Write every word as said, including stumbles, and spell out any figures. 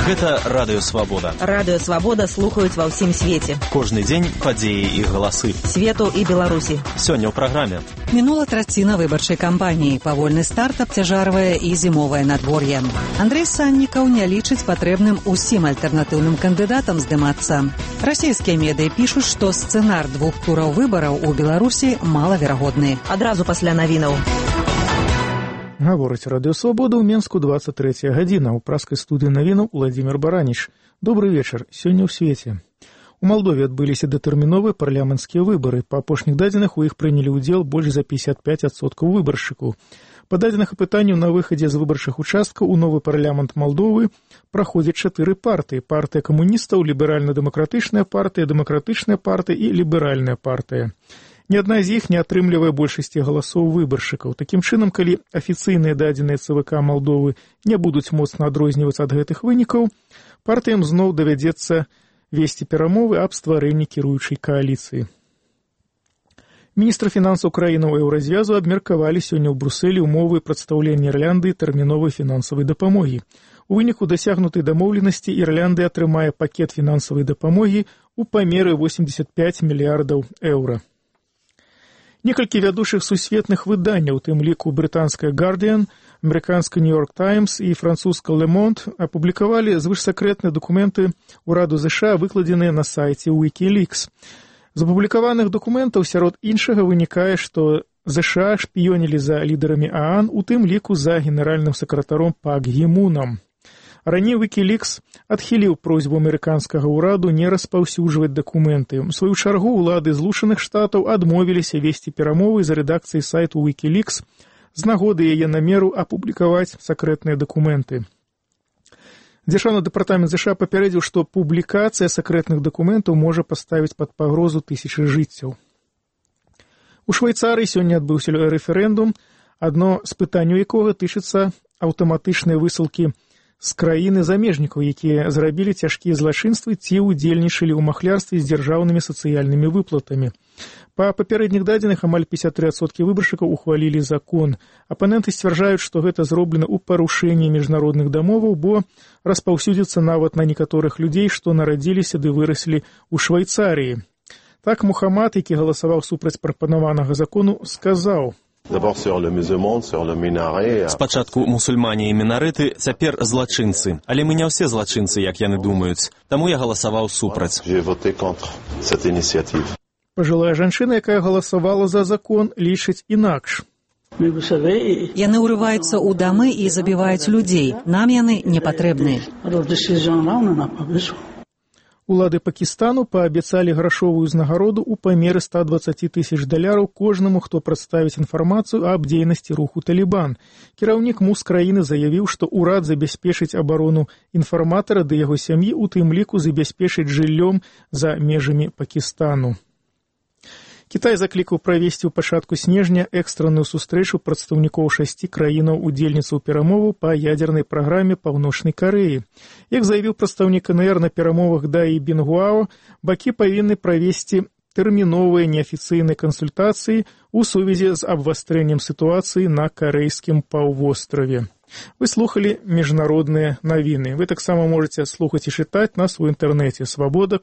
Гэта Радыё Свабода. Радыё Свабода слухаюць ва ўсім свеце. Кожны дзень падзеі і галасы. Свету і Беларусі. Сёння ў праграме. Мінула траціна выбарчай кампаніі. Павольны старт абцяжарвае і зімовае надвор'е. Андрэй Саннікаў не лічыць патрэбным усім альтэрнатыўным кандыдатам здымацца. Расійскія медыі пішуць, што сцэнар двух тураў выбараў у Беларусі малаверагодны. Адразу пасля навінаў. Гаворыць Радыё Свабода ў Менску двадцать третья гадзіна. У праскай студыі навінаў Владзімир Бараніч. Добры вечар. Сёння ў свеце. У Малдове адбыліся датэрміновыя парламенцкія выбары. Па апошніх дадзеных у іх прынялі ўдзел больш за пятьдесят пять адсоткаў выбаршчыкаў. Па дадзеных апытанняў на выхадзе з выбарчых участкаў у новы парламент Малдовы праходзяць чатыры партыі. Партыя камуністаў, ліберальна-дэмакратычная партыя, дэмакратычная партыя і ліберальная партыя. Ні адна з іх не атрымлівае большасці галасоў выбаршчыкаў. Такім чынам, калі афіцыйныя дадзеныя ЦВК Малдовы не будуць моцна адрознівацца ад гэтых вынікаў, партыям зноў давядзецца весці перамовы аб стварэнні кіруючай кааліцыі. Міністр фінансаў краінаў Еўразвязу абмеркавалі сёння ў Брусэлі ўмовы прадстаўлення Ірландыі тэрміновай фінансавай дапамогі. У выніку дасягнутай дамоўленасці Ірландыя атрымае пакет фінансавай дапамогі ў памеры восемьдесят пять мільярдаў еўра. Некалькі вядучых сусветных выданняў, у тым ліку брытанская «Гардиан», амерыканская «Нью-Йорк Таймс» і французская «Ле Монд» апублікавалі звышсакрэтныя дакументы ўраду ЗША, выкладзеныя на сайце Wikileaks. З апублікаваных дакументаў сярод іншага вынікае, што ЗША шпіёнілі за лідарамі ААН, у тым ліку за генеральным сакратаром Пак Гі Мунам. Раней Wikileaks адхіліў просьбу амерыканскага ўраду не распаўсюджваць дакументы. У сваю чаргу ўлады Злучаных Штатаў адмовіліся весці перамовы за рэдакцыяй сайту Wikileaks з нагоды яе намеру апублікаваць сакрэтныя дакументы. Дзяржаўны дэпартамент ЗША папярэдзіў, што публікацыя сакрэтных дакументаў можа паставіць пад пагрозу тысячы жыццяў. У Швейцарыі сёння адбыўся рэферэндум, адно з пытанняў якога тычыцца аўтаматычнай высылкі з краіны замежнікаў, якія зрабілі цяжкія злачынствы ці ўдзельнічалі ў махлярстве з дзяржаўнымі сацыяльнымі выплатамі. Па папярэдніх дадзеных амаль пятьдесят три адсоткі выбаршчыкаў ухвалілі закон. Апаненты сцвярджаюць, што гэта зроблена ў парушэнні міжнародных дамоваў, бо распаўсюдзіцца нават на некаторых людзей, што нарадзіліся ды выраслі ў Швейцарыі. Так Мухаммад, які галасаваў супраць прапанаванага закону, сказаў: Спачатку мусульмане і мінарыты, цяпер злачынцы. Але мы не ўсе злачынцы, як яны думаюць. Таму я галасаваў супраць. Пажылая жанчына, якая галасавала за закон, лічыць інакш. Яны ўрываюцца ў дамы і забіваюць людзей. Нам яны не патрэбны. Улады Пакістану паабяцалі грашовую ўзнагароду ў памеры ста двадцать тысяч даляраў кожнаму, хто прадставіць інфармацыю аб дзейнасці руху «Талібан». Кіраўнік МУС краіны заявіў, што ўрад забяспечыць абарону інфарматара ды яго сям'і, у тым ліку забяспечыць жыллём за межамі Пакістану. Кітай заклікаў правесці ў пачатку снежня экстранную сустрэчу прадстаўнікоў шасці краінаў-удзельніцаў перамоваў па ядзернай праграме Паўночнай Карэі. Як заявіў прадстаўнік КНР на перамовах Даі Бінгуао, бакі павінны правесці тэрміновыя неафіцыйныя кансультацыі ў сувязі з абвастрэннем сітуацыі на карэйскім паўвостраве. Вы слухалі міжнародныя навіны. Вы таксама можаце слухаць і чытаць нас у інтэрнэце свабода